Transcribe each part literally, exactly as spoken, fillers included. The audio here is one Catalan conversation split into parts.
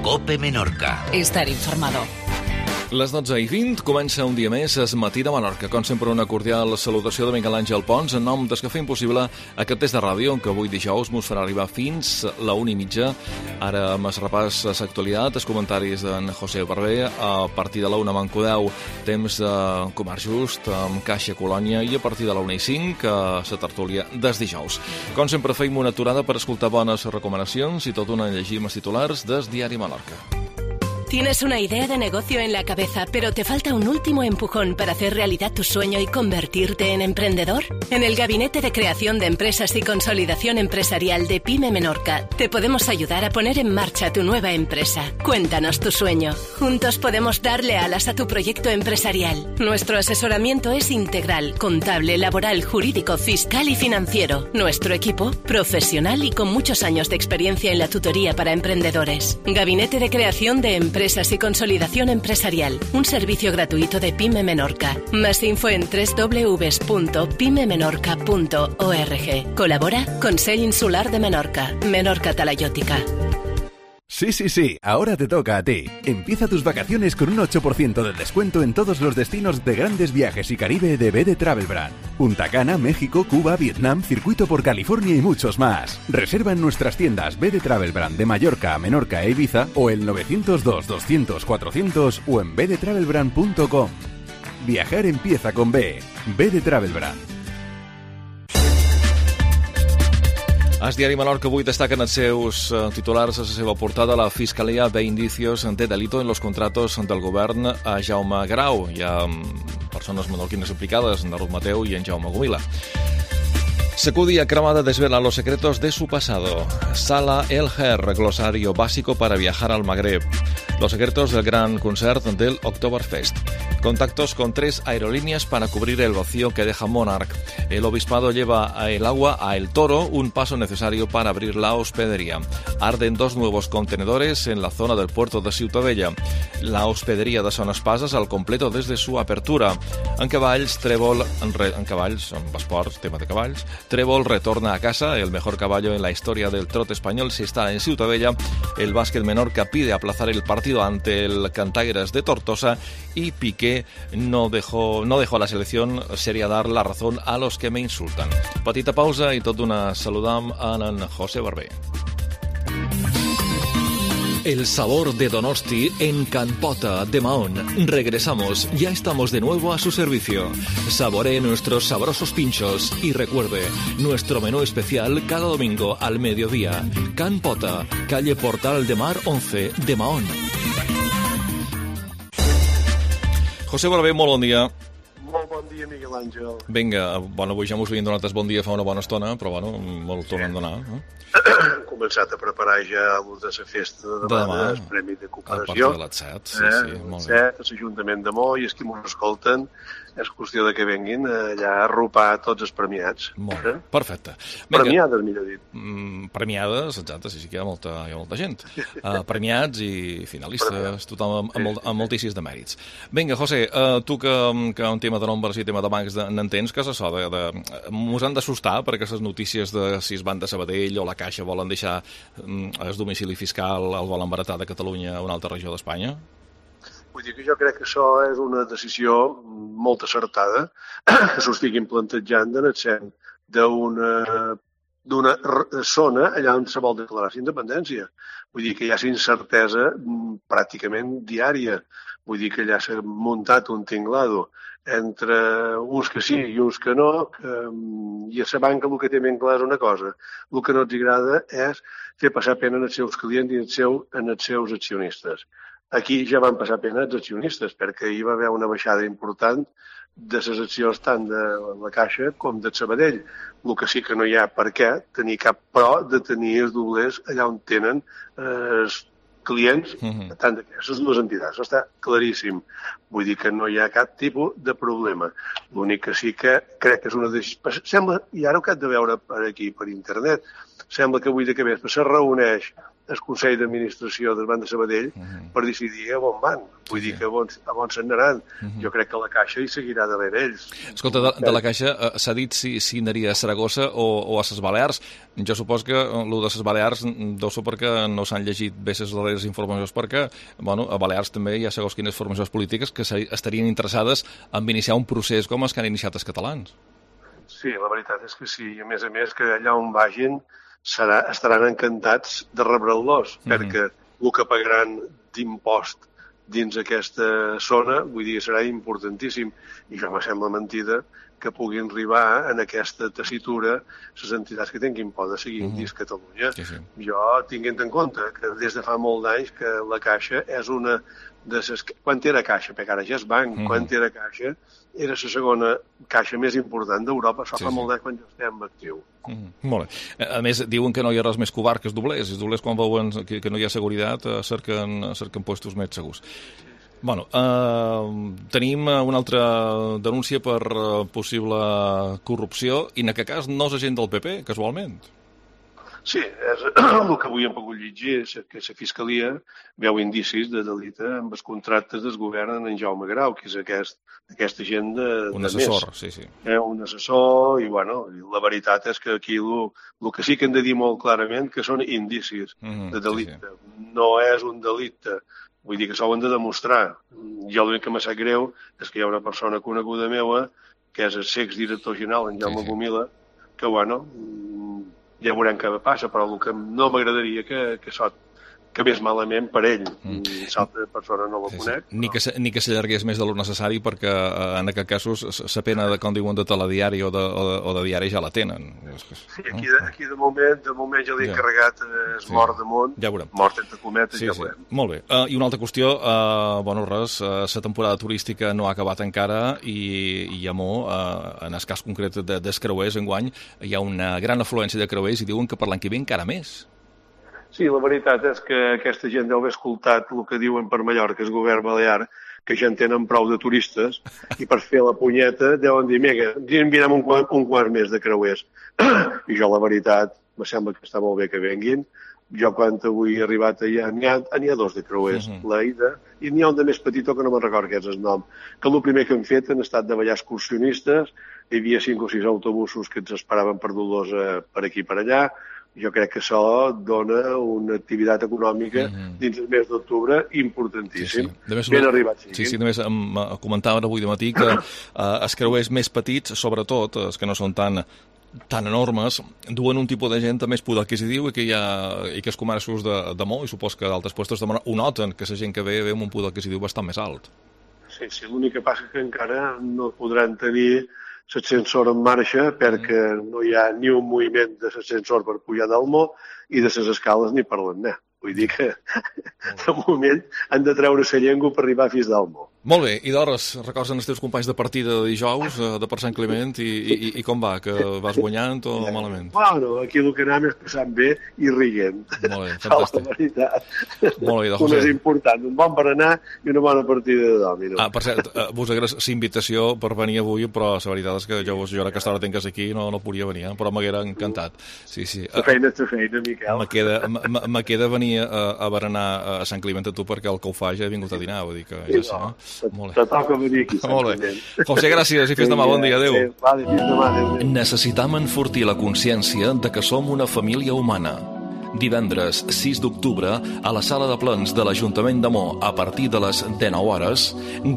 COPE Menorca. Estar informado. Les dotze i vint comença un dia més Es Matí de Menorca. Com sempre, una cordial salutació de Miquel Àngel Pons en nom dels que fem possible aquest test de ràdio que avui dijous mos farà arribar fins la una i mitja. Ara amb el repàs a l'actualitat, els comentaris d'en José Barber. A partir de la una mancodeu, temps de comerç just amb Caixa Colònia, i a partir de la una i cinc, a la tertúlia des dijous. Com sempre, feim una aturada per escoltar bones recomanacions i tot una llegim els titulars des Diari Menorca. ¿Tienes una idea de negocio en la cabeza, pero te falta un último empujón para hacer realidad tu sueño y convertirte en emprendedor? En el Gabinete de Creación de Empresas y Consolidación Empresarial de PYME Menorca te podemos ayudar a poner en marcha tu nueva empresa. Cuéntanos tu sueño. Juntos podemos darle alas a tu proyecto empresarial. Nuestro asesoramiento es integral, contable, laboral, jurídico, fiscal y financiero. Nuestro equipo, profesional y con muchos años de experiencia en la tutoría para emprendedores. Gabinete de Creación de Empresas Empresas y Consolidación Empresarial, un servicio gratuito de PYME Menorca. Más info en doble u doble u doble u punto pyme menorca punto org. Colabora Consell Insular de Menorca, Menorca Talayótica. Sí, sí, sí, ahora te toca a ti. Empieza tus vacaciones con un ocho por ciento de descuento en todos los destinos de Grandes Viajes y Caribe de B D Travel Brand. Punta Cana, México, Cuba, Vietnam, Circuito por California y muchos más. Reserva en nuestras tiendas B D Travel Brand de Mallorca a Menorca e Ibiza o el nueve cero dos, doscientos, cuatrocientos o en b d travel brand punto com. Viajar empieza con B. B D Travel Brand. El Diari Menorca avui destaquen els seus titulars a la seva portada. La Fiscalia ve indicios de delito en los contratos del govern a Jaume Grau. Hi ha persones menorquines implicades, en Ruth Mateu i en Jaume Gomila. Sacudia Cremada desvela los secretos de su pasado. Sala El Her, glosario básico para viajar al Magreb. Los secretos del gran concert del Oktoberfest. Contactos con tres aerolíneas para cubrir el vacío que deja Monarch. El obispado lleva el agua a El Toro, un paso necesario para abrir la hospedería. Arden dos nuevos contenedores en la zona del puerto de Ciutadella. La hospedería de Son Espasas al completo desde su apertura. En cavalls, Trébol, en, re, en cavalls, en esports, tema de cavalls, Trébol retorna a casa, el mejor caballo en la historia del trote español se está en Ciutadella. El básquet Menorca pide aplazar el partido ante el Cantaires de Tortosa y Piqué no dejó, no dejó a la selección, sería dar la razón a los que me insultan. Petita pausa y tot una saludam a en José Barber. El sabor de Donosti en Can Pota de Mahón. Regresamos, ya estamos de nuevo a su servicio. Saboree nuestros sabrosos pinchos y recuerde, nuestro menú especial cada domingo al mediodía. Can Pota, calle Portal de Mar once de Mahón. José Barber, molt bon dia. Molt bon dia, Miguel Àngel. Vinga, bueno, avui ja mos havien donat el bon dia fa una bona estona, però bueno, molt tornen a donar. No? Hem començat a preparar ja l'ús de la festa de demà, de demà el Premi de Cooperació. A partir de les set, sí, sí, eh, molt bé. set, a l'Ajuntament de Mo, i els que m'ho escolten, és qüestió de que venguin allà a arropar tots els premiats. Molt bé, eh? Perfecte. Vinga. Premiades, millor dit. Mm, premiades, exacte, sí, sí que hi ha molta, hi ha molta gent. Uh, premiats i finalistes, premiats. Tothom amb, amb, amb moltíssims de mèrits. Vinga, José, uh, tu que, que un tema de nombres i tema de bancs n'entens, que és això? De, de, mos han d'assustar perquè les notícies de si es van de Sabadell o la Caixa volen deixar um, el domicili fiscal, el volen baratar de Catalunya a una altra regió d'Espanya? Vull dir que jo crec que això és una decisió molt acertada, que s'ho estiguin plantejant en el sent d'una d'una zona allà on se vol declarar la independència. Vull dir que hi ha incertesa pràcticament diària. Vull dir que allà s'ha muntat un tinglado entre uns que sí i uns que no, que, i a la banca el que té ben clar és una cosa. El que no els agrada és fer passar pena als seus clients i als seus, als seus accionistes. Aquí ja van passar pena els accionistes, perquè hi va haver una baixada important de les accions tant de la Caixa com de Sabadell. El que sí que no hi ha per què tenir cap pro de tenir els doblers allà on tenen eh, els clients, uh-huh. tant d'aquestes dues entitats. Això està claríssim. Vull dir que no hi ha cap tipus de problema. L'únic que sí que crec que és una decisió... Sembla, i ara ho que has de veure per aquí, per internet, sembla que avui de que vespre se reuneix el Consell d'Administració del Banc de Sabadell uh -huh. per decidir a on van. Vull dir que a on, a on se'n anaran. Uh -huh. Jo crec que la Caixa hi seguirà darrere ells. Escolta, de, de la Caixa eh, s'ha dit si, si anaria a Saragossa o, o a ses Balears. Jo supos que el de ses Balears deu ser perquè no s'han llegit bé les darreres informacions, perquè bueno, a Balears també hi ha segons quines formacions polítiques que estarien interessades en iniciar un procés com els que han iniciat els catalans. Sí, la veritat és que sí. I a més a més que allà on vagin serà, estaran encantats de rebre'ls, mm -hmm. perquè el que pagaran d'impost dins aquesta zona, vull dir, serà importantíssim. I jo me sembla mentida que puguin arribar en aquesta tessitura les entitats que tinguin por de seguir mm -hmm. dins Catalunya. Sí, sí. Jo, tinguent en compte que des de fa molt d'anys que la Caixa és una de ses... Quan era Caixa, perquè ara ja és banc, mm -hmm. quan era Caixa, era la segona caixa més important d'Europa. Això sí, fa sí. molt d'anys quan ja estem actiu. Mm -hmm. Molt bé. A més, diuen que no hi ha res més covard que els doblers. Els doblers, quan veuen que, que no hi ha seguretat, cerquen, cerquen puestos més segurs. Bueno, eh, tenim una altra denúncia per possible corrupció, i en aquest cas no és agent del P P, casualment. Sí, és el que avui hem pogut llegir, és que la Fiscalia veu indicis de delicte amb els contractes del govern en Jaume Grau, que és aquest, aquesta gent de, un de assessor, més. sí, sí. Eh, un assessor, i bueno, la veritat és que aquí el que sí que hem de dir molt clarament que són indicis mm-hmm, de delicte. Sí, sí. No és un delicte. Vull dir que s'ho han de demostrar. Jo l'únic que m'ha sap greu és que hi ha una persona coneguda meva, que és el l'exdirector general, en Jaume sí, sí. Gomila, que, bueno, ja veurem què passa, però el que no m'agradaria que, que això acabés malament per ell. Mm. L'altra persona no la sí, conec. Sí. Ni, que se, ni que s'allargués més de lo necessari, perquè eh, en aquest cas la pena, de, com diuen, de telediari o de, o de, o de diari ja la tenen. Sí, aquí de, aquí de moment de moment ja l'he ja. encarregat es sí. mort damunt, ja mort entre cometes, sí, ja sí. veurem. Molt bé. Uh, I una altra qüestió, uh, bueno, res, la uh, temporada turística no ha acabat encara i, i a Mo, uh, en el cas concret de, dels creuers enguany, hi ha una gran afluència de creuers i diuen que per l'any que ve encara més. Sí, la veritat és que aquesta gent deu haver escoltat el que diuen per Mallorca, el govern balear, que ja en tenen prou de turistes, i per fer la punyeta deuen dir, mega, enviem un, un quart més de creuers. I jo, la veritat, me sembla que està molt bé que venguin. Jo, quan avui he arribat allà, n'hi ha, n'hi ha dos de creuers, uh -huh. la ida, i n'hi ha un de més petitó que no me'n recordo què és el nom, que el primer que han fet han estat de ballar excursionistes, hi havia cinc o sis autobusos que ens esperaven per dur-los per aquí i per allà. Jo crec que això dona una activitat econòmica mm-hmm. dins el mes d'octubre importantíssim. Sí, sí. Ben arribat, sí. Sí, sí, només em comentaven avui de matí que eh, els creuers més petits, sobretot, els que no són tan tan enormes, duen un tipus de gent amb més poder adquisitiu i que hi ha i que els comerços de, de Mo, i supos que d'altres puestos de Mo ho noten, que la gent que ve ve amb un poder adquisitiu bastant més alt. Sí, sí, l'únic que passa és que encara no podran tenir l'ascensor en marxa perquè mm. no hi ha ni un moviment de l'ascensor per pujar del Mo i de les escales ni parlen-ne. Vull dir que, de moment, han de treure la llengua per arribar fins al Mo. Molt bé, i d'hores, records els teus companys de partida de dijous, de per Sant Climent, i, i, i com va? Que vas guanyant o eh, malament? Bueno, aquí el que anem és passant bé i riguent. Molt bé, fantàstic. La veritat. Molt bé, de José. Un és important, un bon berenar i una bona partida de dòmino. Ah, per cert, vos agraeix la invitació per venir avui, però la veritat és que jo, jo ara que aquesta hora tingues aquí no, no podia venir, eh? Però m'haguera encantat. Sí, sí. La feina és la feina, Miquel. Me queda, me queda venir a, a berenar a Sant Climent a tu perquè el que ho fa ja he vingut a dinar, vull dir que ja sé, no? Molt bé. Te toca venir aquí. Molt bé. José, gràcies i fins demà. Bon dia. Adéu. Sí, vale, fins demà. Adéu. Necessitam enfortir la consciència de que som una família humana. Divendres sis d'octubre, a la sala de plens de l'Ajuntament de Mo, a partir de les dinou hores,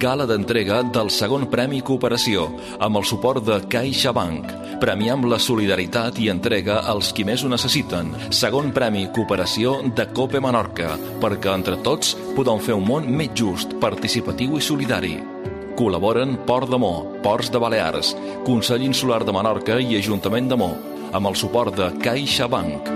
gala d'entrega del segon Premi Cooperació, amb el suport de CaixaBank. Premiam la solidaritat i entrega als qui més ho necessiten. Segon Premi Cooperació de Cope Menorca, perquè entre tots podem fer un món més just, participatiu i solidari. Col·laboren Port de Mo, Ports de Balears, Consell Insular de Menorca i Ajuntament de Mo, amb el suport de CaixaBank.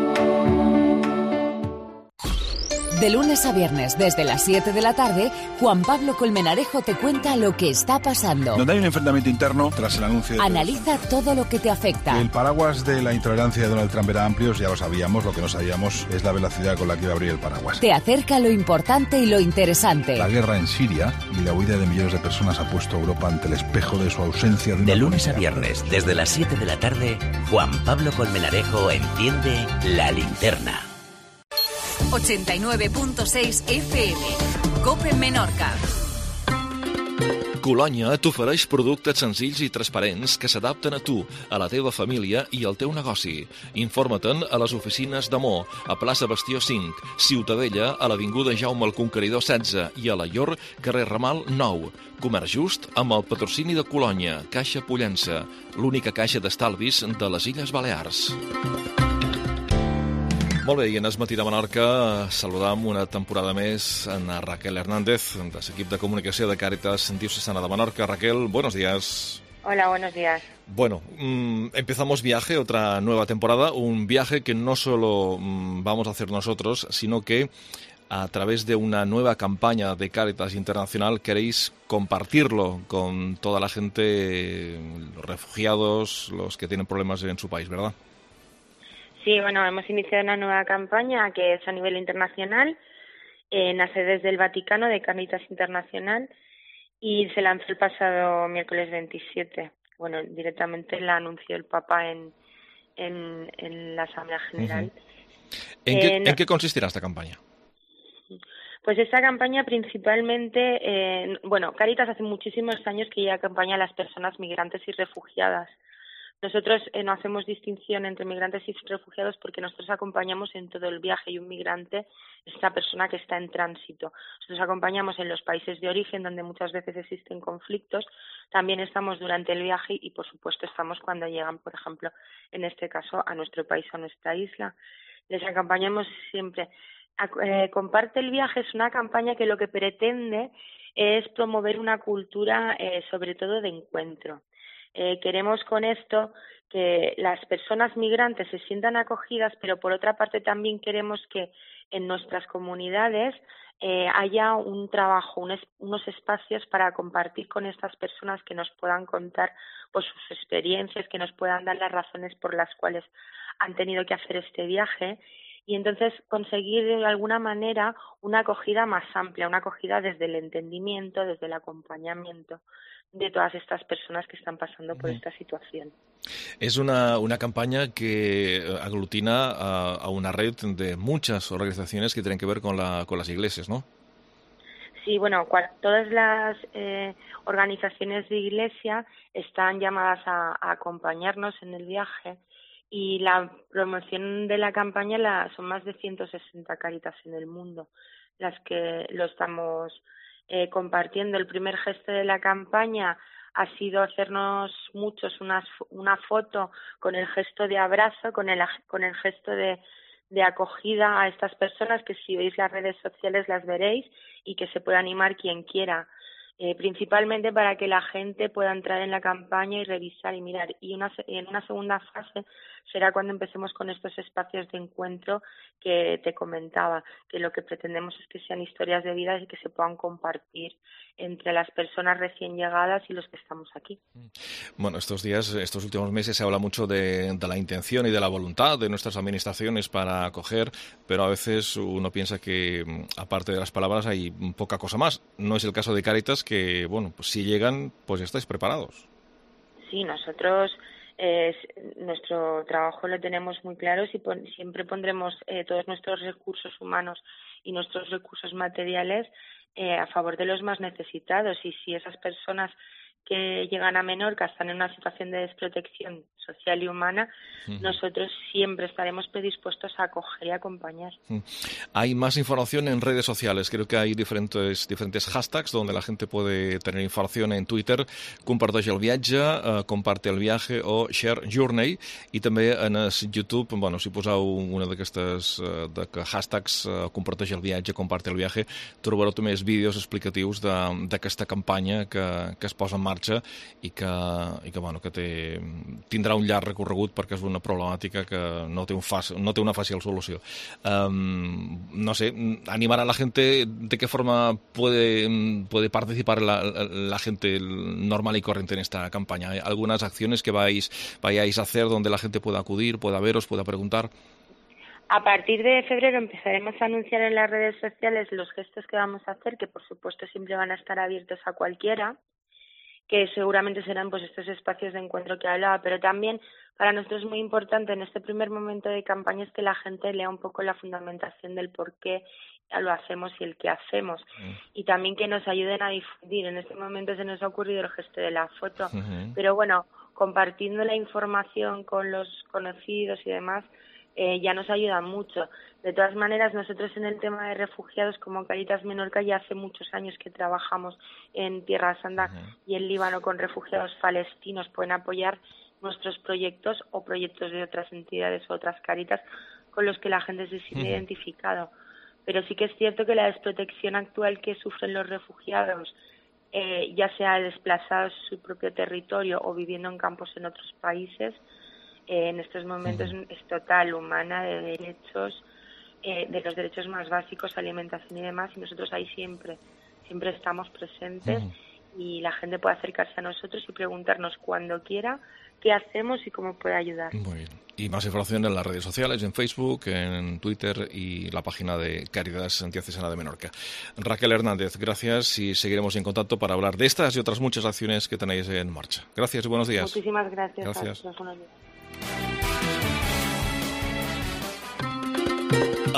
De lunes a viernes, desde las siete de la tarde, Juan Pablo Colmenarejo te cuenta lo que está pasando. Donde hay un enfrentamiento interno tras el anuncio de... Analiza todo lo que te afecta. El paraguas de la intolerancia de Donald Trump era amplio, ya lo sabíamos. Lo que no sabíamos es la velocidad con la que iba a abrir el paraguas. Te acerca lo importante y lo interesante. La guerra en Siria y la huida de millones de personas ha puesto a Europa ante el espejo de su ausencia. De, de lunes a viernes, desde las siete de la tarde, Juan Pablo Colmenarejo enciende la linterna. ochenta y nueve punto seis F M. COPE Menorca. Colònia t'ofereix productes senzills i transparents que s'adapten a tu, a la teva família i al teu negoci. Informa-te'n a les oficines d'Amor, a plaça Bastió cinc, Ciutadella, a l'avinguda Jaume el Conqueridor setze i a la Llor, carrer Ramal nou. Comerç just amb el patrocini de Colònia, Caixa Pollença, l'única caixa d'estalvis de les Illes Balears. Molt bé, i en Es Matí de Menorca saludam una temporada més a Raquel Hernández, de l'equip de comunicació de Càritas Diocesana de Menorca. Raquel, buenos días. Hola, buenos días. Bueno, mmm, empezamos viaje, otra nueva temporada, un viaje que no solo mmm, vamos a hacer nosotros, sino que a través de una nueva campaña de Càritas Internacional queréis compartirlo con toda la gente, los refugiados, los que tienen problemas en su país, ¿verdad? Sí, bueno, hemos iniciado una nueva campaña que es a nivel internacional, eh, nace desde el Vaticano de Càritas Internacional y se lanzó el pasado miércoles veintisiete. Bueno, directamente la anunció el Papa en, en, en la Asamblea General. Uh-huh. ¿En, qué, eh, no, ¿En qué consistirá esta campaña? Pues esta campaña principalmente, eh, bueno, Càritas hace muchísimos años que ya acompaña a las personas migrantes y refugiadas. Nosotros eh, no hacemos distinción entre migrantes y refugiados porque nosotros acompañamos en todo el viaje y un migrante es una persona que está en tránsito. Nosotros acompañamos en los países de origen donde muchas veces existen conflictos, también estamos durante el viaje y por supuesto estamos cuando llegan, por ejemplo, en este caso a nuestro país o a nuestra isla. Les acompañamos siempre. Eh, Comparte el viaje es una campaña que lo que pretende es promover una cultura eh, sobre todo de encuentro. Eh, queremos con esto que las personas migrantes se sientan acogidas, pero por otra parte también queremos que en nuestras comunidades eh, haya un trabajo, un es, unos espacios para compartir con estas personas que nos puedan contar pues, sus experiencias, que nos puedan dar las razones por las cuales han tenido que hacer este viaje y entonces conseguir de alguna manera una acogida más amplia, una acogida desde el entendimiento, desde el acompañamiento de todas estas personas que están pasando por esta situación. Es una, una campaña que aglutina a, a una red de muchas organizaciones que tienen que ver con, la, con las iglesias, ¿no? Sí, bueno, cual, todas las eh, organizaciones de iglesia están llamadas a, a acompañarnos en el viaje y la promoción de la campaña la, son más de ciento sesenta Càritas en el mundo las que lo estamos Eh, compartiendo. El primer gesto de la campaña ha sido hacernos muchos unas, una foto con el gesto de abrazo, con el, con el gesto de, de acogida a estas personas que si veis las redes sociales las veréis y que se puede animar quien quiera, eh, principalmente para que la gente pueda entrar en la campaña y revisar y mirar. Y una, en una segunda fase será cuando empecemos con estos espacios de encuentro que te comentaba, que lo que pretendemos es que sean historias de vida y que se puedan compartir entre las personas recién llegadas y los que estamos aquí. Bueno, estos días, estos últimos meses se habla mucho de, de la intención y de la voluntad de nuestras administraciones para acoger, pero a veces uno piensa que aparte de las palabras hay poca cosa más. No es el caso de Càritas, que bueno, pues si llegan, pues estáis preparados. Sí, nosotros eh, nuestro trabajo lo tenemos muy claro y pon, siempre pondremos eh, todos nuestros recursos humanos y nuestros recursos materiales eh, a favor de los más necesitados y si esas personas que llegan a Menorca están en una situación de desprotección social y humana, uh-huh. nosotros siempre estaremos predispuestos a acoger y acompañar. Uh-huh. Hay más información en redes sociales. Creo que hay diferentes, diferentes hashtags donde la gente puede tener información en Twitter. Comparteix el viatge, eh, comparte el viaje o share journey. I també en YouTube, bueno, si poseu una d'aquestes eh, hashtags, eh, comparteix el viatge, comparte el viaje, trobareu també els vídeos explicatius d'aquesta campanya que, que es posa en marxa i que, i que, bueno, que té, tindrà un llarg recorregut perquè és una problemàtica que no té, un fàcil, no té una fàcil solució. Um, no sé, animar a la gente, ¿de qué forma puede, puede participar la, la gente normal y corriente en esta campaña? ¿Hay algunas acciones que vais, vayáis a hacer donde la gente pueda acudir, pueda veros, pueda preguntar? A partir de febrero empezaremos a anunciar en las redes sociales los gestos que vamos a hacer, que por supuesto siempre van a estar abiertos a cualquiera. que seguramente serán pues estos espacios de encuentro que hablaba, pero también para nosotros es muy importante en este primer momento de campaña es que la gente lea un poco la fundamentación del por qué lo hacemos y el qué hacemos, mm. y también que nos ayuden a difundir. En este momento se nos ha ocurrido el gesto de la foto, uh-huh. pero bueno, compartiendo la información con los conocidos y demás, eh, ya nos ayuda mucho. De todas maneras, nosotros en el tema de refugiados, como Cáritas Menorca, ya hace muchos años que trabajamos en Tierra Santa uh-huh. y en Líbano con refugiados palestinos. Pueden apoyar nuestros proyectos o proyectos de otras entidades o otras Cáritas con los que la gente se siente uh-huh. identificado. Pero sí que es cierto que la desprotección actual que sufren los refugiados, eh, ya sea desplazados en su propio territorio o viviendo en campos en otros países, eh, en estos momentos uh-huh. es total, humana, de derechos, eh, de los derechos más básicos, alimentación y demás, y nosotros ahí siempre, siempre estamos presentes uh-huh. y la gente puede acercarse a nosotros y preguntarnos cuando quiera qué hacemos y cómo puede ayudar. Muy bien. Y más información en las redes sociales, en Facebook, en Twitter y la página de Cáritas Diocesana de Menorca. Raquel Hernández, gracias y seguiremos en contacto para hablar de estas y otras muchas acciones que tenéis en marcha. Gracias y buenos días. Muchísimas gracias. Gracias. A buenos días.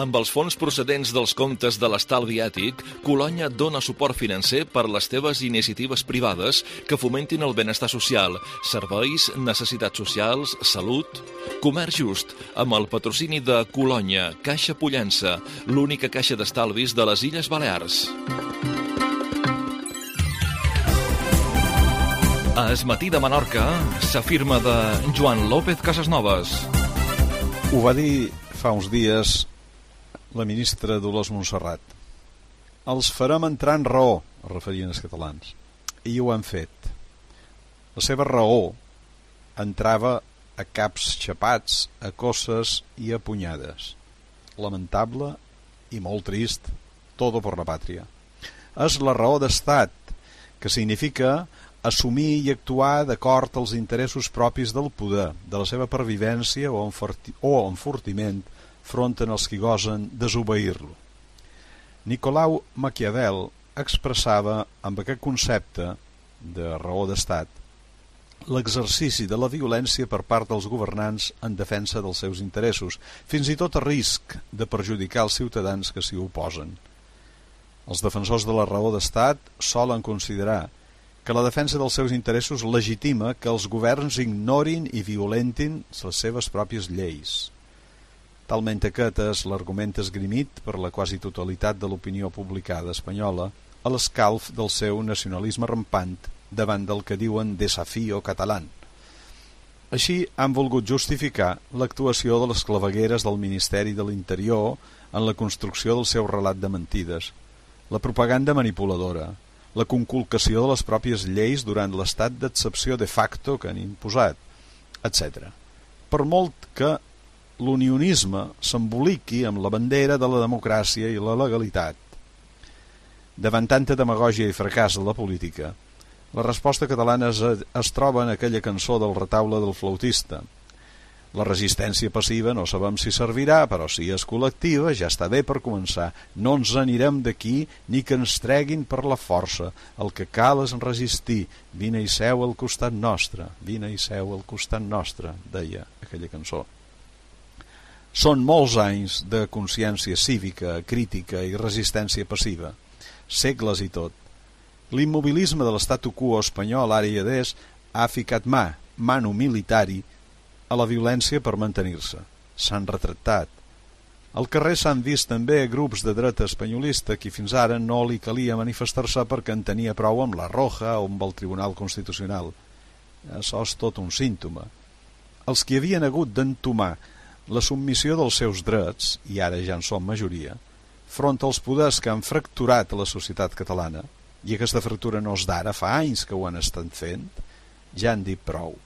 Amb els fons procedents dels comptes de l'estalvi ètic, Colònia dona suport financer per les teves iniciatives privades que fomentin el benestar social, serveis, necessitats socials, salut... Comerç just, amb el patrocini de Colònia, Caixa Pollença, l'única caixa d'estalvis de les Illes Balears. A Es Matí de Menorca s'afirma de Joan López Casasnovas. Ho va dir fa uns dies la ministra Dolors Montserrat. Els farem entrar en raó, es referien els catalans, i ho han fet. La seva raó entrava a caps xapats, a cosses i a punyades. Lamentable i molt trist, todo por la pàtria. És la raó d'estat, que significa assumir i actuar d'acord als interessos propis del poder, de la seva pervivència o enfortiment front als qui gosen desobeir-lo. Nicolau Maquiavel expressava amb aquest concepte de raó d'estat l'exercici de la violència per part dels governants en defensa dels seus interessos, fins i tot a risc de perjudicar els ciutadans que s'hi oposen. Els defensors de la raó d'estat solen considerar que la defensa dels seus interessos legitima que els governs ignorin i violentin les seves pròpies lleis. Talment aquest és l'argument esgrimit per la quasi totalitat de l'opinió publicada espanyola a l'escalf del seu nacionalisme rampant davant del que diuen desafío català. Així han volgut justificar l'actuació de les clavegueres del Ministeri de l'Interior en la construcció del seu relat de mentides, la propaganda manipuladora, la conculcació de les pròpies lleis durant l'estat d'excepció de facto que han imposat, etcètera. Per molt que l'unionisme s'emboliqui amb la bandera de la democràcia i la legalitat. Davant tanta demagògia i fracàs de la política, la resposta catalana es, es troba en aquella cançó del retaule del flautista. La resistència passiva no sabem si servirà, però si és col·lectiva ja està bé per començar. No ens anirem d'aquí ni que ens treguin per la força. El que cal és resistir. Vine i seu al costat nostre, vine i seu al costat nostre, deia aquella cançó. Són molts anys de consciència cívica, crítica i resistència passiva, segles i tot. L'immobilisme de l'estatu quo espanyol ara i adés ha ficat mà, mano militari, a la violència per mantenir-se. S'han retractat. Al carrer s'han vist també grups de dreta espanyolista qui fins ara no li calia manifestar-se perquè en tenia prou amb la Roja o amb el Tribunal Constitucional. Això és tot un símptoma. Els qui havien hagut d'entomar la submissió dels seus drets, i ara ja en són majoria, front als poders que han fracturat la societat catalana, i aquesta fractura no és d'ara, fa anys que ho han estat fent, ja han dit prou.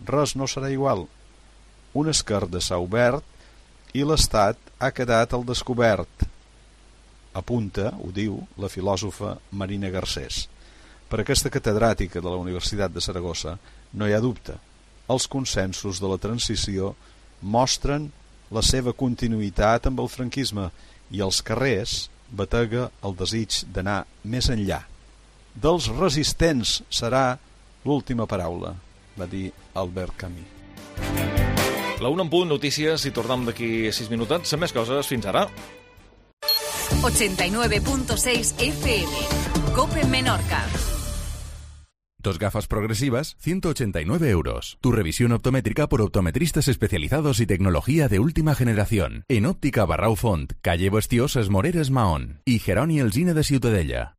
Res no serà igual. Una esquerda s'ha obert i l'Estat ha quedat al descobert. Apunta, ho diu, la filòsofa Marina Garcés. Per aquesta catedràtica de la Universitat de Saragossa no hi ha dubte. Els consensos de la transició mostren la seva continuïtat amb el franquisme i als carrers batega el desig d'anar més enllà. Dels resistents serà l'última paraula, va dir Albert Camus. La una en punt, notícies, i tornem d'aquí sis minutets amb més coses. Fins ara. ochenta y nueve punto seis F M. COPE Menorca. Dos gafas progresivas, ciento ochenta y nueve euros. Tu revisión optométrica por optometristas especializados y tecnología de última generación. En Óptica Barrau Font, calle Bastiós, Es Moreres, Mahón. Y Geroni Alsina de Ciutadella.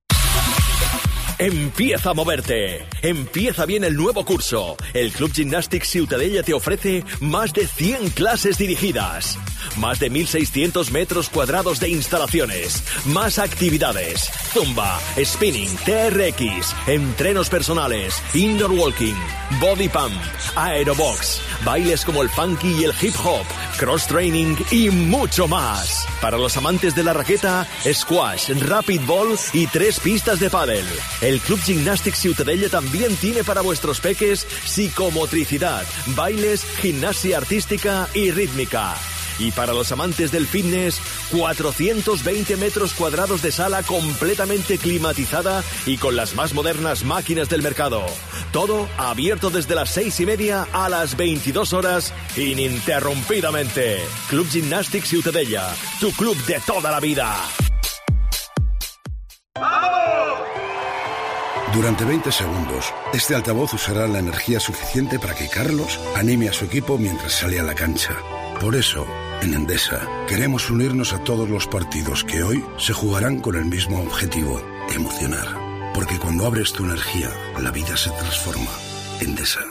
Empieza a moverte. Empieza bien el nuevo curso. El Club Gymnastics Ciutadella te ofrece más de cien clases dirigidas, más de mil seiscientos metros cuadrados de instalaciones, más actividades, zumba, spinning, T R X, entrenos personales, indoor walking, body pump, aerobox, bailes como el funky y el hip hop, cross training y mucho más. Para los amantes de la raqueta, squash, rapid ball y tres pistas de pádel. El Club Gymnastics Ciutadella también tiene para vuestros peques psicomotricidad, bailes, gimnasia artística y rítmica. Y para los amantes del fitness, cuatrocientos veinte metros cuadrados de sala completamente climatizada y con las más modernas máquinas del mercado. Todo abierto desde las seis y media a las veintidós horas ininterrumpidamente. Club Gymnastics Ciutadella, tu club de toda la vida. Durante veinte segundos, este altavoz usará la energía suficiente para que Carlos anime a su equipo mientras sale a la cancha. Por eso, en Endesa, queremos unirnos a todos los partidos que hoy se jugarán con el mismo objetivo, emocionar. Porque cuando abres tu energía, la vida se transforma. Endesa.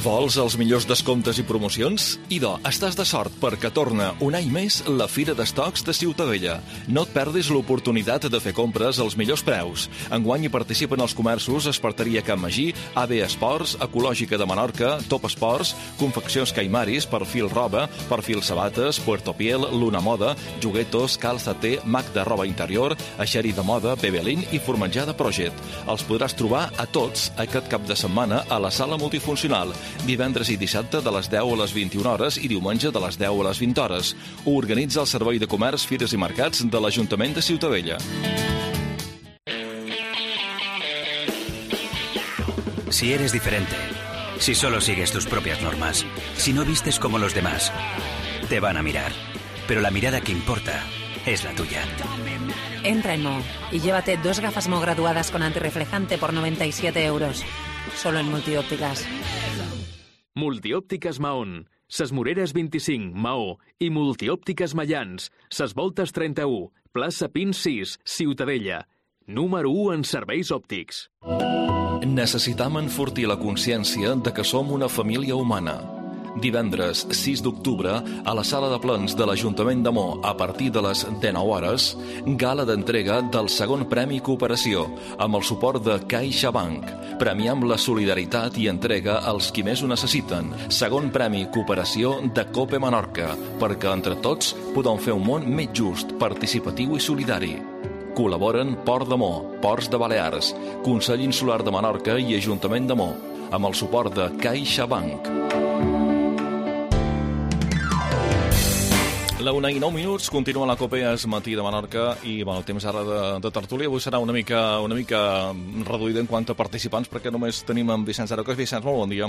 Vols els millors descomptes i promocions? Idò, estàs de sort perquè torna un any més la Fira d'Estocs de Ciutadella. No et perdis l'oportunitat de fer compres als millors preus. Enguany hi participen els comerços Esparteria Can Magí, A B Esports, Ecològica de Menorca, Top Esports, Confeccions Caimaris, Perfil Roba, Perfil Sabates, Puerto Piel, Luna Moda, Juguetos, Calzate, Mac de Roba Interior, Aixeri de Moda, Bebelín i Formenjar de Projet. Els podràs trobar a tots aquest cap de setmana a la sala multifuncional, divendres i dissabte de les deu a les vint-i-una hores i diumenge de les deu a les vint hores. Ho organitza el Servei de Comerç, Fires i Mercats de l'Ajuntament de Ciutadella. Si eres diferente, si solo sigues tus propias normas, si no vistes como los demás, te van a mirar. Pero la mirada que importa es la tuya. Entra en Mo y llévate dos gafas Mo graduadas con antirreflejante por noventa y siete euros. Solo en Multiópticas. Multiòptiques Mahón, Ses Moreres vint-i-cinc, Maó, i Multiòptiques Mayans, Ses Voltes trenta-u, plaça Pins sis, Ciutadella. Número u en serveis òptics. Necessitam enfortir la consciència de que som una família humana. Divendres sis d'octubre, a la sala de plens de l'Ajuntament de Mo, a partir de les dinou hores, gala d'entrega del segon Premi Cooperació, amb el suport de CaixaBank. Premiam la solidaritat i entrega als qui més ho necessiten. Segon Premi Cooperació de COPE Menorca, perquè entre tots podem fer un món més just, participatiu i solidari. Col·laboren Port de Mo, Ports de Balears, Consell Insular de Menorca i Ajuntament de Mo, amb el suport de CaixaBank. La una i nou minuts, continua la COPE, és matí de Menorca i bueno, el temps ara de, de tertúlia avui serà una mica, una mica reduïda en quant a participants perquè només tenim en Vicenç Arocas. Vicenç, molt bon dia.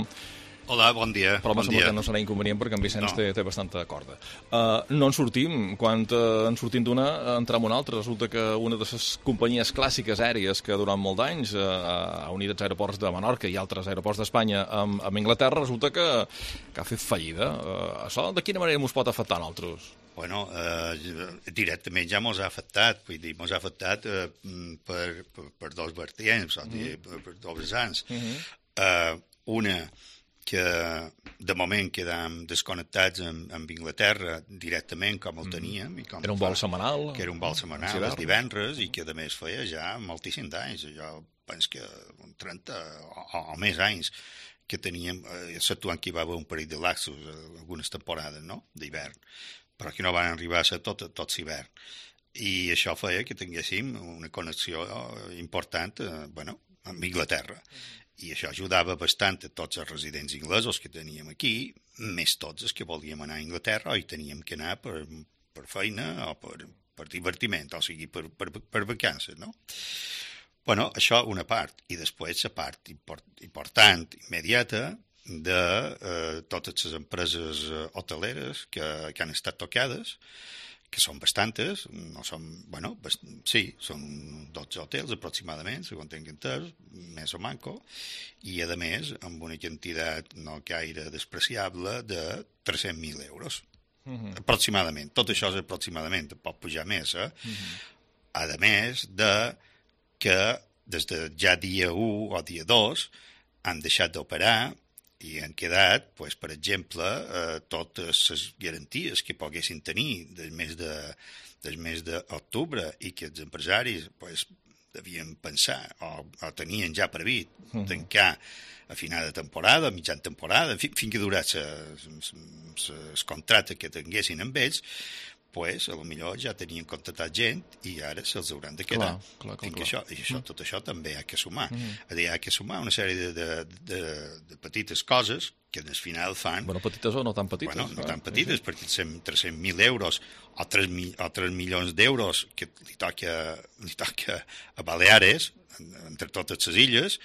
Hola, bon dia. Però bon em sembla dia. que no serà inconvenient perquè en Vicenç No. té, té bastanta corda. Uh, no en sortim. Quan uh, en sortim d'una, entrem una altra. Resulta que una de les companyies clàssiques aèries que durant molt d'anys uh, ha unit els aeroports de Menorca i altres aeroports d'Espanya amb, amb Anglaterra, resulta que, que ha fet fallida. Uh, això de quina manera ens pot afectar a nosaltres? Bueno, eh, directament ja mos ha afectat, vull dir, mos ha afectat eh, per, per, per dos vertients, mm -hmm. per, per dos vessants. Mm -hmm. eh, una, que de moment quedam desconnectats amb, amb Inglaterra directament com el teníem. I com era un vol setmanal. Que era un vol setmanal, els divendres, i que a més feia ja moltíssims anys. Jo penso que trenta o, o més anys que teníem, eh, exceptuant que hi va haver un parell de laxos, algunes temporades, no?, d'hivern, però que no van arribar a ser tot, tot l'hivern. I això feia que tinguéssim una connexió important eh, bueno, amb Inglaterra. I això ajudava bastant a tots els residents inglesos que teníem aquí, més tots els que volíem anar a Inglaterra o hi teníem que anar per, per feina o per, per divertiment, o sigui, per, per, per vacances, no? Bueno, això una part. I després la part important, immediata, de eh, totes les empreses hoteleres que, que han estat tocades, que són bastantes, no són, bueno, bast... sí, són dotze hotels aproximadament, segons tinc entès, més o manco, i a més amb una quantitat no gaire despreciable de tres-cents mil euros. Uh-huh. Aproximadament. Tot això és aproximadament, pot pujar més, eh? Uh-huh. A més de que des de ja dia u o dia dos han deixat d'operar i han quedat, pues, per exemple, eh, totes les garanties que poguessin tenir del mes de, del mes d'octubre i que els empresaris pues, devien pensar o, o tenien ja previst uh-huh. tancar a final de temporada, a mitjan temporada, fins fi que durés el contracte que tinguessin amb ells, pues, a lo millor ja tenien contractat gent i ara se'ls hauran de quedar. Clar, clar, clar, clar. Això, I això, tot això també hi ha que sumar. Mm-hmm. Hi ha que sumar una sèrie de, de, de, de petites coses que al final fan... Bueno, petites o no tan petites. Bueno, no clar. tan petites, mm-hmm. perquè tres-cents mil euros o tres, o tres milions d'euros que li toca, li toca a Baleares, entre totes les illes,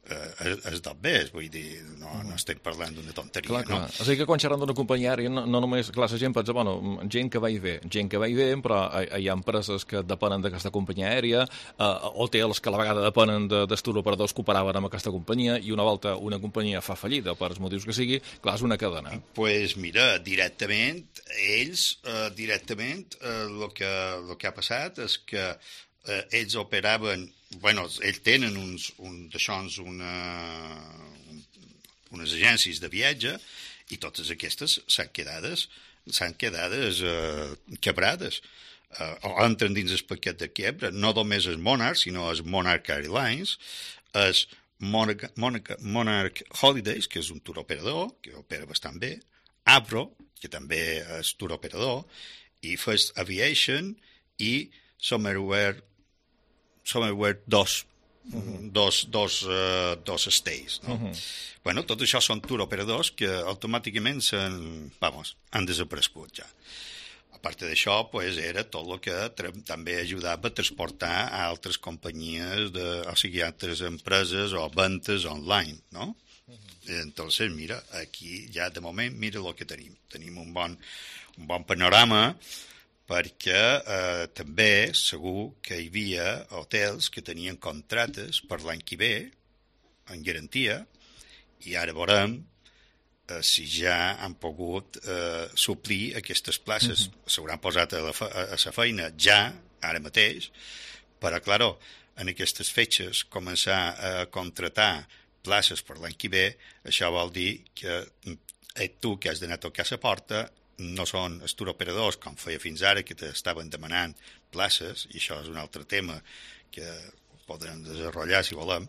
eh, és tot bé, vull dir, no, no estem parlant d'una tonteria, clar, clar. no? O sigui que quan xerrem d'una companyia aèria, no, no només, clar, la gent pensa, bueno, gent que va i ve, gent que va i ve, però hi ha empreses que depenen d'aquesta companyia aèria, eh, hotels que a la vegada depenen de, dels turoperadors que operaven amb aquesta companyia, i una volta una companyia fa fallida, per els motius que sigui, clar, és una cadena. Doncs pues mira, directament, ells, eh, directament, eh, el que, lo que ha passat és que eh, ells operaven, bueno, ells tenen uns, un, d'aixòns una, un, unes agències de viatge i totes aquestes s'han quedades, s'han quedades eh, quebrades. Eh, o entren dins el paquet de quebra, no només és Monarch, sinó és Monarch Airlines, és Monarch, Monarch, Monarch Holidays, que és un turoperador, que opera bastant bé, Avro, que també és turoperador, i First Aviation i Somewhere Somewhere dos, uh-huh. dos, dos, uh, dos stays, no? Uh-huh. Bueno, tot això són turoperadors que automàticament s'han, vamos, han desaparegut ja. A part d'això, pues, era tot el que tra- també ajudava a transportar a altres companyies, de, o sigui, altres empreses o ventes online, no? Uh-huh. Entonces, mira, aquí ja de moment, mira el que tenim. Tenim un bon, un bon panorama, perquè eh, també segur que hi havia hotels que tenien contractes per l'any que ve en garantia i ara veurem eh, si ja han pogut eh, suplir aquestes places. Mm-hmm. S'hauran posat a la, fe- a la feina ja, ara mateix, però, claro, en aquestes fetges començar a contratar places per l'any que ve, això vol dir que eh, tu que has d'anar a tocar a la porta no són els turoperadors, com feia fins ara, que t'estaven demanant places, i això és un altre tema que podrem desenvolupar si volem,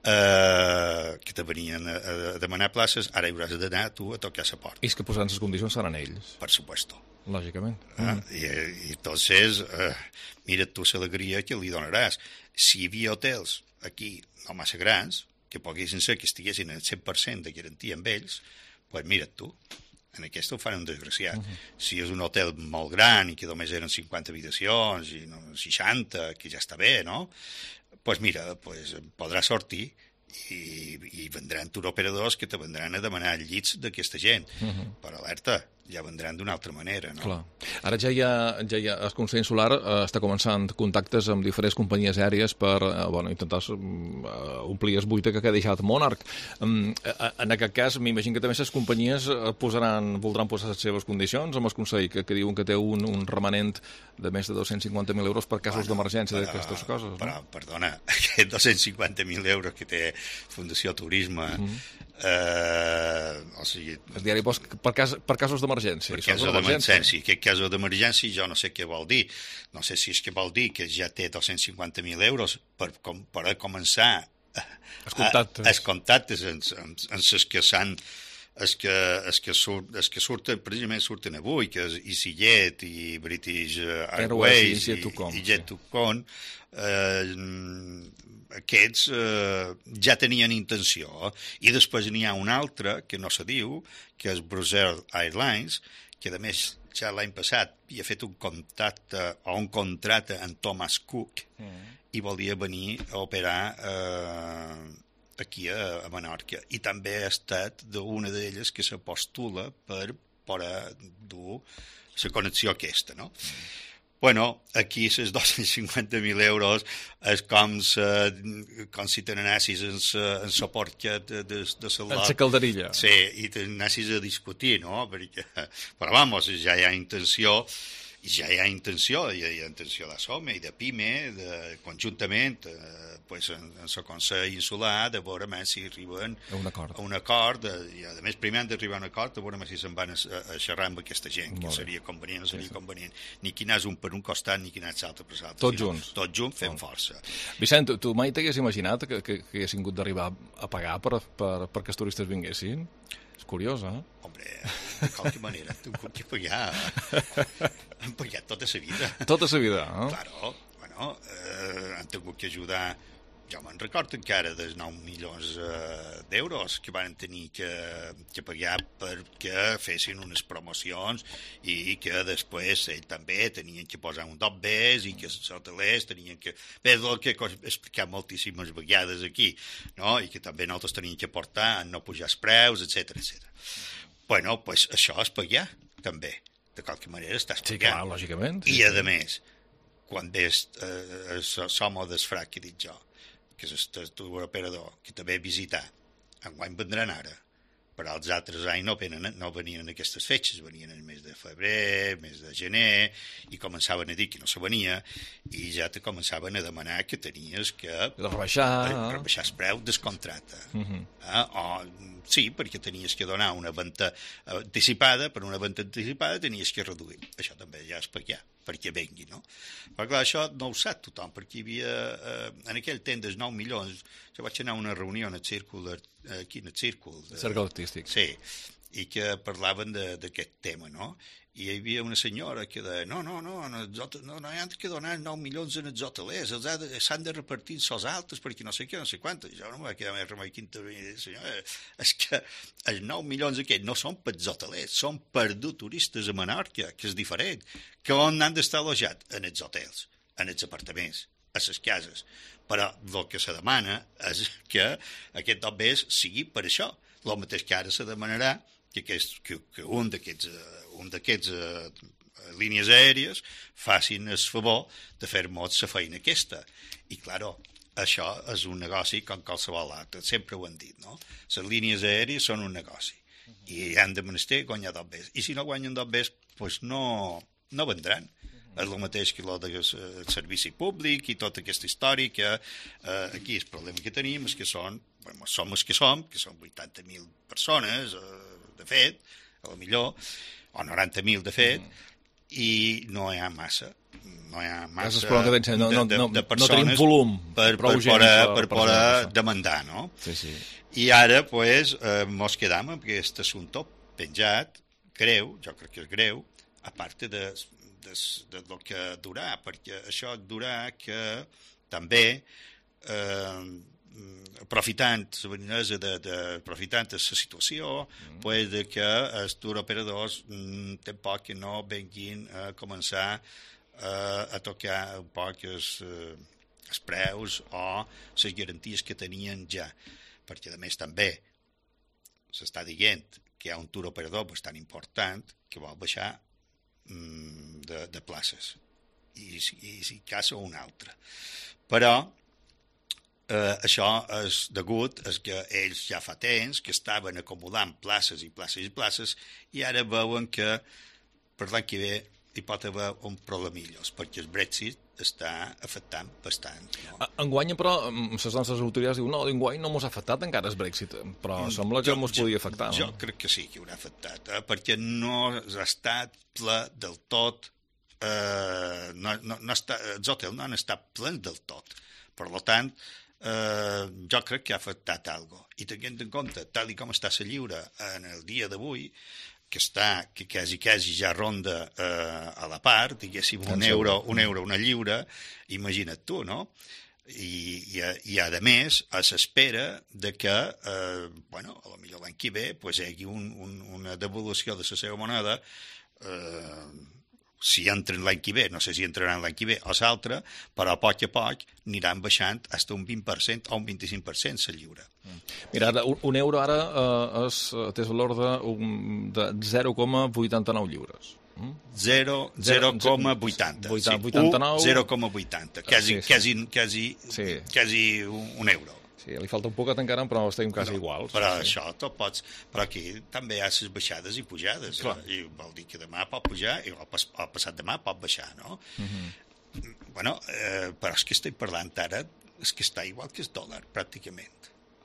eh, que te venien a, a demanar places, ara hauràs d'anar tu a tocar la porta. I és que posant les condicions seran ells. Per supuesto. Lògicament. Eh? Mm. I, I entonces, eh, mira tu l'alegria que li donaràs. Si hi havia hotels aquí no massa grans, que poguessin ser que estiguessin al cent per cent de garantia amb ells, doncs pues mira't tu. En aquesta ho fan un desgraciat. Uh-huh. Si és un hotel molt gran i que només eren cinquanta habitacions i no, seixanta, que ja està bé, no? Doncs pues mira, pues podrà sortir i, i vendran turoperadors que te vendran a demanar llits d'aquesta gent. Uh-huh. Per alerta, ja vendran d'una altra manera, no? Clar. Ara ja hi ha, ja hi ha el Consell Insular eh, està començant contactes amb diferents companyies aèries per eh, bueno, intentar uh, omplir el buit que ha deixat Monarch. Um, en aquest cas, m'imagino que també les companyies posaran, voldran posar les seves condicions amb el Consell, que, que diuen que té un, un remanent de més de dos-cents cinquanta mil euros per casos bueno, d'emergència d'aquestes coses. No? Però, perdona, aquests dos-cents cinquanta mil euros que té Fundació Turisme, mm-hmm. eh, o sigui... El diari post per, cas, per casos d'emergència. Per casos d'emergència. Aquest cas d'emergència jo no sé què vol dir. No sé si és que vol dir que ja té dos-cents cinquanta mil euros per, com, per a començar els contactes, a, els contactes en, en, en els que s'han els que, els que, surt, els que surten, precisament surten avui, que és EasyJet i British Airways i, i Jet to Con, eh, aquests eh, ja tenien intenció, i després n'hi ha un altre que no se diu, que és Brussels Airlines, que a més ja l'any passat havia fet un contacte o un contracte amb Thomas Cook mm. i volia venir a operar eh, aquí a, a Menorca. I també ha estat d'una d'elles que se postula per poder dur la connexió aquesta, no? Mm. Bueno, aquí les dos-cents cinquanta mil euros és com, sa, com si te n'anessis en la porca de, de, de la... En la calderilla. Sí, i te n'anessis a discutir, no? Perquè, però, vamos, ja hi ha intenció, ja hi ha intenció, hi ha, hi ha intenció de SOME i de PIME, de, conjuntament, eh, pues, en, en la Consell Insular, de veure més si arriben a un acord. A un acord i, a més, primer han d'arribar a un acord, de veure més si se'n van a, a xerrar amb aquesta gent, que seria convenient o seria sí, sí. convenient. Ni qui n'és un per un costat, ni qui n'és l'altre per l'altre. Tots junts. Tots junts fem oh. força. Vicent, tu, tu mai t'hagués imaginat que, que, que haguessin hagut d'arribar a pagar per, per, perquè els turistes vinguessin? És curiós, eh? Hombre, de qualque manera, tu que pagar. Han pagat tota la vida. Tota la vida, eh? Claro, bueno, eh, han tingut que ajudar. Jo me'n recordo encara dels nou milions eh, d'euros que van tenir que, que pagar perquè fessin unes promocions i que després ells també tenien que posar un dot bes i que els hotelers tenien que... Bé, el que he explicat moltíssimes vegades aquí, no? I que també nosaltres teníem que portar a no pujar els preus, etcètera, etcètera. Bueno, pues això és pagar, també. De qualque manera estàs pagant. Sí, clar, lògicament. I, a més, quan ves eh, som o desfrac que he dit jo, que és el turoperador, que també visitar, enguany vendran ara, però els altres anys no, venen, no venien en aquestes fetges, venien el mes de febrer, mes de gener, i començaven a dir que no se venia, i ja te començaven a demanar que tenies que rebaixar, rebaixar el preu del contracte. Uh -huh. eh? O, sí, perquè tenies que donar una venda anticipada, per una venda anticipada tenies que reduir. Això també ja és pagar, perquè vengui, no? Però clar, això no ho sap tothom, perquè hi havia, eh, en aquell temps dels nou milions, jo vaig anar a una reunió en el círcul, aquí en el círcul. De, Cercle artístic. Sí, i que parlaven d'aquest tema, no? I hi havia una senyora que deia, no, no, no, no, no, no hi han de donar nou milions en els hotelers, s'han de repartir els altres perquè no sé què, no sé quantes. Jo no em va quedar més remei que intervenir. Senyora, és que els nou milions aquests no són per els hotelers, són per dur turistes a Menorca, que és diferent. Que on han d'estar allotjats? En els hotels, en els apartaments, a les cases. Però el que se demana és que aquest dot bes sigui per això. El mateix que ara se demanarà que, aquest, que, que un d'aquests un d'aquests uh, línies aèries facin el favor de fer-nos la feina aquesta. I, claro, això és un negoci com qualsevol altre, sempre ho han dit, no? Les línies aèries són un negoci i han de menester guanyar dot bes. I si no guanyen dot bes, doncs no, no vendran. És el mateix que el del servici públic i tota aquesta història que eh, aquí el problema que tenim és que són, bueno, som els que som, que són vuitanta mil persones, eh, de fet, a lo millor, o noranta mil de fet, mm. i no hi ha massa, no hi ha massa de, de, no, no, de persones no volum, per, per, per, per, per poder demandar, no? Sí, sí. I ara, pues, eh, mos quedam amb aquest assumpte penjat, greu, jo crec que és greu, a part de, de, de lo que durà, perquè això durà que també eh, aprofitant la veninesa de, de aprofitant la situació, mm. pues de que els turoperadors mm, tampoc que no venguin a començar eh, a tocar un poc els, eh, els preus o les garanties que tenien ja, perquè a més també s'està dient que hi ha un turoperador bastant important que vol baixar mm, de, de places i, i si casa un altre, però Uh, això és degut a que ells ja fa temps que estaven acumulant places i places i places i ara veuen que per l'any que ve hi pot haver un problemillos perquè el Brexit està afectant bastant. No? Enguany, però, les nostres autoritats diuen no, enguany no mos ha afectat encara el Brexit, però sembla que mos podia afectar. Jo, no? jo crec que sí que haurà afectat, eh? perquè no ha estat ple del tot, eh, no, no, no està, els hotels no han estat plens del tot. Per tant, Uh, jo crec que ha afectat alguna cosa. I tenint en compte, tal i com està la lliure en el dia d'avui, que està, que quasi, quasi ja ronda uh, a la part, diguéssim, un euro, un euro, una lliure, imagina't tu, no? I, i, i a més, s'espera de que, uh, bueno, a lo millor l'any que ve, pues, hi hagi un, un, una devolució de la seva moneda eh, si entren l'any que ve, no sé si entraran l'any que ve o l'altre, però a poc a poc aniran baixant fins a un vint per cent o un vint-i-cinc per cent la lliure. Mira, ara, un, un euro ara eh, és, té valor de, un, de zero coma vuitanta-nou lliures. Mm? zero coma vuitanta. vuitanta-nou. zero coma vuitanta. Quasi, sí, sí. quasi, quasi, sí. quasi un, un euro. Sí, li falta un poquet encara, però estem quasi no, iguals. Però sí. això tot pots... Però aquí també hi ha les baixades i pujades. Eh? I vol dir que demà pot pujar i el, pas, el passat demà pot baixar, no? Uh-huh. Bueno, eh, però és que estic parlant ara, és que està igual que el dòlar, pràcticament.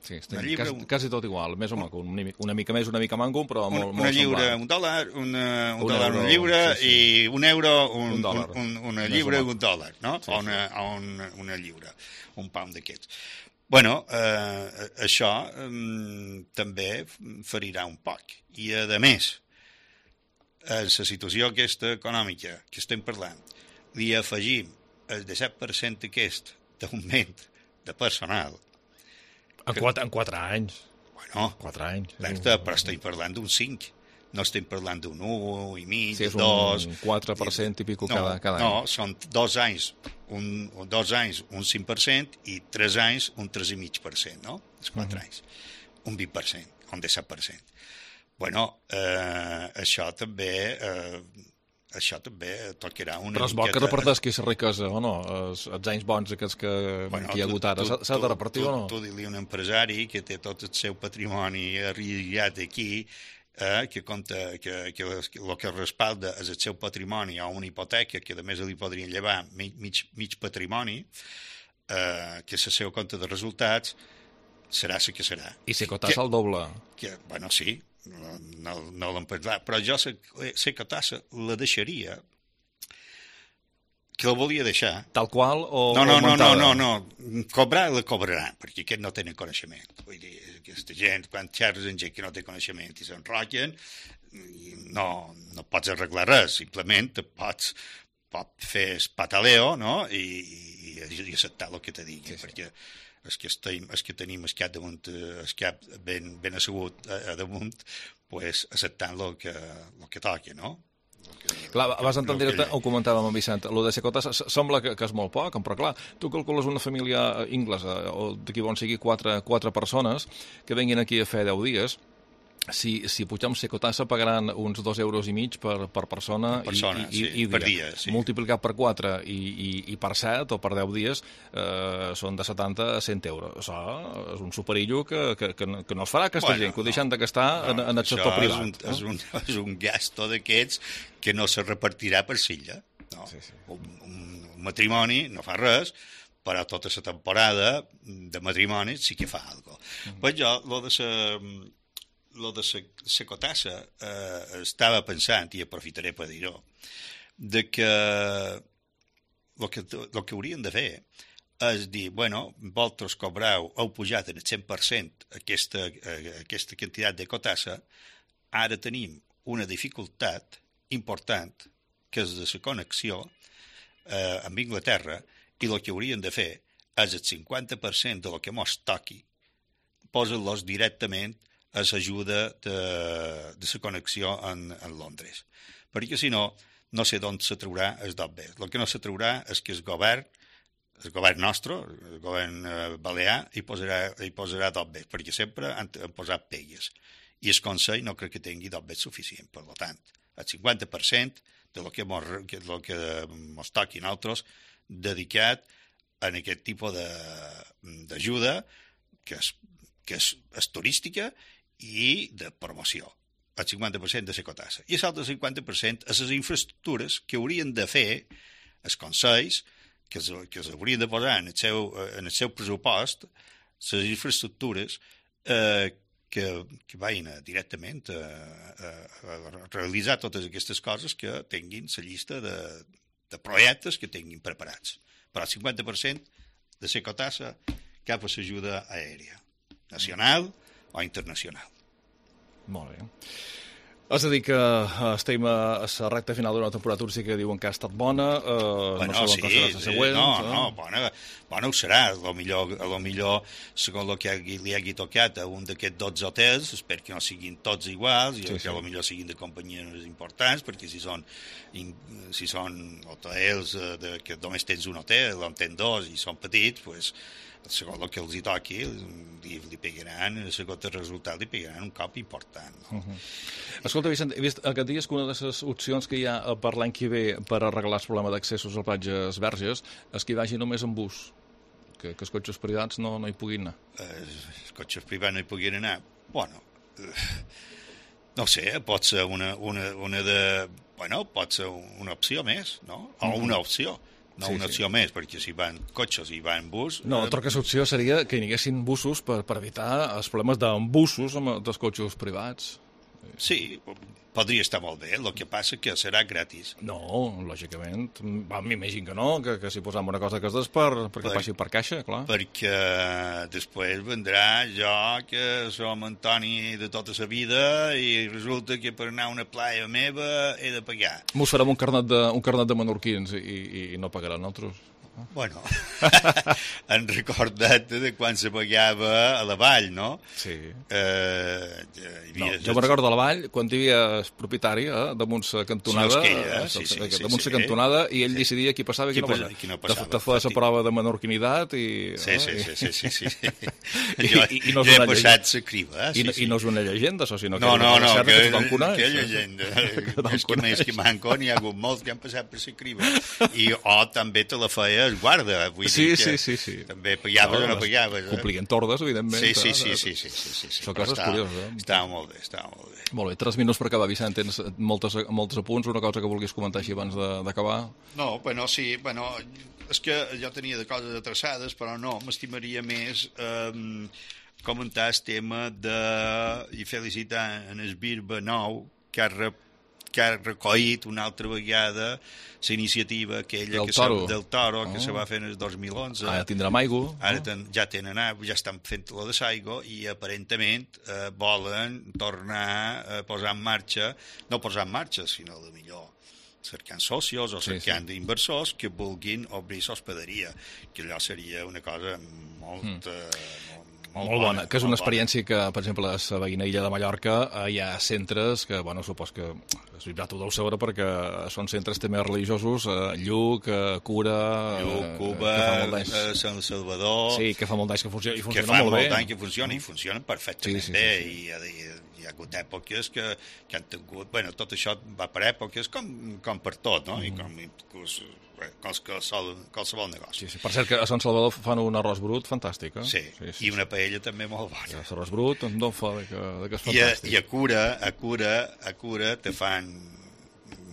Sí, estem lliure, quasi, quasi tot igual, més o menys, una, una mica més, una mica manco, però molt, una, molt una lliure, semblant. un dòlar, una, un, un dòlar, euro, una lliure, sí, sí. i un euro, un, un dòlar. Un, un, una lliure i un dòlar, no? Sí, o una, sí. una, una lliure, un pound d'aquests. Bueno, eh, això eh, també ferirà un poc. I, a més, a la situació aquesta econòmica que estem parlant, li afegim el disset per cent aquest d'augment de personal. En quatre, en quatre anys. Bueno, quatre anys. Exacte, però estem parlant d'un cinc. No estem parlant d'un un i mig, sí, és dos... un quatre per cent i pico cada, cada no, any. No, són dos anys, un, dos anys un cinc per cent i tres anys un tres i mig per cent, no? Els quatre uh-huh. anys. Un vint per cent, un disset per cent. Bueno, eh, això també... Eh, això també tocarà una Però és bo miqueta... que reparteix aquesta riquesa, o no? Els, els anys bons aquests que, bueno, que hi ha hagut ara. S'ha de repartir tu, o no? Tu, tu dir-li un empresari que té tot el seu patrimoni arrillat aquí, eh, que compta que, que el que respalda és el seu patrimoni o una hipoteca que a més li podrien llevar mig, mig, mig patrimoni, eh, que és el seu compte de resultats, serà el que serà. I si cotàs el doble? Que, bueno, sí, no, no, no l'hem parlat, però jo sé que tassa la deixaria, que la volia deixar. Tal qual o no, no, no, no, no, no, cobrar la cobraran, perquè aquests no tenen coneixement. Vull dir, aquesta gent, quan xerres amb gent que no té coneixement i s'enrotllen, no, no pots arreglar res, simplement te pots, pots fer pataleo, no?, i, i, i acceptar el que te digui, sí, sí. perquè els que, estem, els que tenim el cap, damunt, el cap ben, ben assegut a, a damunt, pues, acceptant el que, el que toqui, no? Clar, vas entendre, que... ho comentàvem amb Vicent, el de Secota sembla que, que és molt poc, però clar, tu calcules una família inglesa, o d'aquí bon sigui quatre, quatre persones, que venguin aquí a fer deu dies, si, si pugem Secotassa pagaran uns dos euros i mig per, per persona, per persona i, i, sí, i dia. per dia. Sí. Multiplicat per quatre i, i, i per set o per deu dies eh, són de setanta a cent euros. Això és un superillo que, que, que, no, que no es farà aquesta bueno, gent, que ho deixen de gastar no, en, en el sector privat. És un, no? és, un, és un gasto d'aquests que no se repartirà per silla. No. Sí, sí. Un, un, un matrimoni no fa res, però tota la temporada de matrimoni sí que fa alguna cosa. Mm. Pues jo, lo de sa... lo de la cotassa eh, estava pensant, i aprofitaré per dir-ho, de que el que, lo que haurien de fer és dir, bueno, vosaltres cobrau, heu pujat en el cent per cent aquesta, eh, aquesta quantitat de cotassa, ara tenim una dificultat important, que és de la connexió eh, amb Anglaterra, i el que haurien de fer és el cinquanta per cent de lo que mos toqui, posa-los directament a l'ajuda de, de la connexió en, en Londres. Perquè, si no, no sé d'on se traurà el dot bé. El que no se traurà és que el govern, el govern nostre, el govern eh, balear, hi posarà, hi posarà dot bé, perquè sempre han, han posat pegues. I el Consell no crec que tingui dot bé suficient. Per tant, el cinquanta per cent de lo que mos, que, lo que mos toqui a nosaltres dedicat a aquest tipus d'ajuda que és, que és, és turística i de promoció, el cinquanta per cent de la cotassa. I l'altre cinquanta per cent és les infraestructures que haurien de fer els consells, que es, que es haurien de posar en el seu, en el seu pressupost, les infraestructures eh, que, que vagin directament a, a, a realitzar totes aquestes coses que tinguin la llista de, de projectes que tinguin preparats. Però el cinquanta per cent de la cotassa cap a l'ajuda aèria, nacional o internacional. Molt bé. És a dir, que estem a la recta final d'una temporada turística que diuen que ha estat bona, eh, bueno, no sé sí, com serà la següent. No, eh? no, bona, bona ho serà. A lo millor, a lo millor segons el que li hagi tocat a un d'aquests dotze hotels, espero que no siguin tots iguals, i sí, que sí. A lo millor siguin de companyies importants, perquè si són, si són hotels de, que només tens un hotel, o en tens dos i són petits, doncs, segons el que els hi toqui, li, li pegaran, segons el resultat, li pegaran un cop important. No? Uh -huh. Escolta, Vicent, he vist aquest dia que una de les opcions que hi ha per l'any que ve per arreglar el problema d'accessos a platges verges és que hi vagi només en bus, que, que els cotxes privats no, no hi puguin anar. Eh, els cotxes privats no hi puguin anar? Bueno, eh, no sé, pot ser una, una, una de... Bueno, pot ser una opció més, no? O una opció. No sí, una opció sí. més, perquè si van cotxes i van bus... No, l'altra eh... opció seria que hi haguessin busos per, per evitar els problemes d'embussos dels cotxes privats. Sí, podria estar molt bé, el que passa que serà gratis. No, lògicament. M'imagino que no, que, que si posam una cosa que és per, perquè per, passi per caixa, clar. Perquè després vendrà jo, que som Antoni de tota la vida, i resulta que per anar a una playa meva he de pagar. Mos farem un carnet de, un carnet de menorquins i, i, i no pagaran nosaltres. Bueno, han recordat de quan se pagava a la vall, no? Sí. Eh, no, jo me recordo a la vall, quan hi havia propietari, eh, damunt la cantonada, sí, ella, sí, sí, sí, damunt la sí, cantonada, i ell sí. decidia qui passava i qui, qui no passava. Qui no passava. Te feia la prova de menorquinitat i... Sí, sí, sí, sí, sí, sí. I, jo, i, i no jo he passat la criba. I, sí, sí. I no és una llegenda, això, sinó que... No, no, no, que, que, que llegenda. És que més que manco n'hi ha hagut molts que han passat per la criba. I o també te la feia el guarda, vull sí, dir sí, sí, sí. també pagaves no, o no pagaves. Eh? Complien tordes, evidentment. Sí, sí, sí, sí, sí, sí, sí, sí. Són coses estava, curioses. Eh? Estava molt bé, estava molt bé. Molt bé, tres minuts per acabar, Vicent. Tens moltes, moltes apunts, una cosa que vulguis comentar així abans d'acabar? No, bueno, sí, bueno, és que jo tenia de coses atreçades, però no, m'estimaria més eh, comentar el tema de, i felicitar en el Birba nou, que ha rep que ha recollit una altra vegada la iniciativa aquella del que toro, se, del toro oh. que se va fer en el dos mil onze. Ara tindrem aigua. Ara ten, ja tenen aigua, ja estan fent la de l'aigua i aparentment eh, volen tornar a posar en marxa, no posar en marxa, sinó de millor cercant socios o cercant sí, sí. inversors que vulguin obrir l'hospederia, que allò seria una cosa molt... Mm. Eh, Molt, molt bona, que és una experiència que, per exemple, a la veïna illa de Mallorca hi ha centres que, bueno, supos que es vibrat ho deu saber perquè són centres també religiosos, eh, Lluc, eh, Cura... Lluc, Cuba, eh, Sant Salvador... Sí, que fa molt d'anys que funciona, i funciona que fa molt bé. molt d'anys que funciona, i funcionen perfectament sí, sí, bé, sí, sí. i, i hi ha hagut èpoques que, que han tingut... Bueno, tot això va per èpoques com, com per tot, no? Mm. I com inclús... Qualsevol, qualsevol negoci. Sí, sí. Per cert, que a Sant Salvador fan un arròs brut fantàstic, eh? Sí, sí, sí, i una paella sí. també molt bona. Sí, l'arròs brut no fa de que, de que és I a, fantàstic. I a Cura, a Cura, a Cura te fan,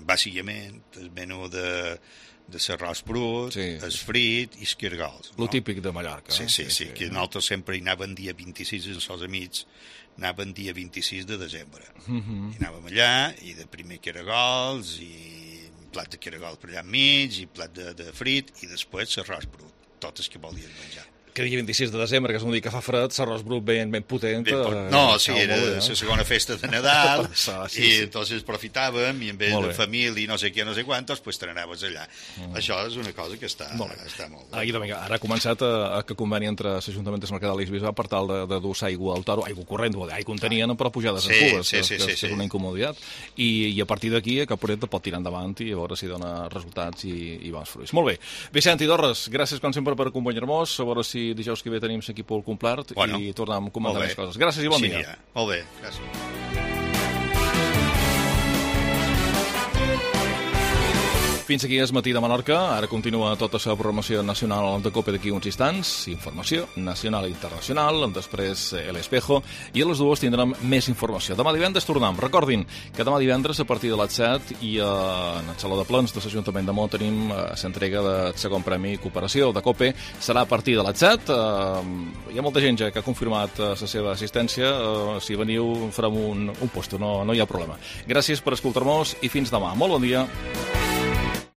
bàsicament, el menú de, de l'arròs brut, sí. el frit i els cargols. Lo no? típic de Mallorca. Sí, sí, sí, sí, que nosaltres sempre hi anàvem dia vint-i-sis amb els amics, anàvem dia vint-i-sis de desembre. Uh -huh. I anàvem allà, i de primer cargols, i plat de caragol per allà enmig, i plat de, de frit, i després l'arròs brut, tot el que volies menjar. Que dia vint-i-sis de desembre, que és un dia que fa fred, l'arròs brut ben, ben potent. Ben pot... No, sí, era la eh? segona festa de Nadal, sí, sí. I entonces profitàvem, i en vez de família i no sé què, no sé quantos, pues te n'anaves allà. Mm. Això és una cosa que està molt bé. Està molt bé. Ah, vinga, ara ha començat a, a que conveni entre l'Ajuntament de Mercadal i Bisbal per tal de, de dur aigua al toro, aigua corrent, aigua contenien, però pujades sí, en cubes, sí, que, sí, que, sí, que sí. és una incomoditat. I, i a partir d'aquí, que Caporet pot tirar endavant i a veure si dona resultats i, i bons fruits. Molt bé. Vicent i Dorres, gràcies com sempre per acompanyar-nos, a veure si dijous que ve tenim l'equip al complet bueno, i tornem a comentar més coses. Gràcies i bon sí, dia. Ja. Molt bé, gràcies. Fins aquí és Matí de Menorca. Ara continua tota la programació nacional de COPE d'aquí uns instants. Informació nacional i internacional. Després El Espejo. I a les dues tindrem més informació. Demà divendres tornem. Recordin que demà divendres a partir de les set i en el Saló de Plens de l'Ajuntament de Mó tenim l'entrega del segon Premi Cooperació de COPE. Serà a partir de les set. Hi ha molta gent ja que ha confirmat la seva assistència. Si veniu farem un, un posto. No, no hi ha problema. Gràcies per escoltar-nos i fins demà. Molt bon dia.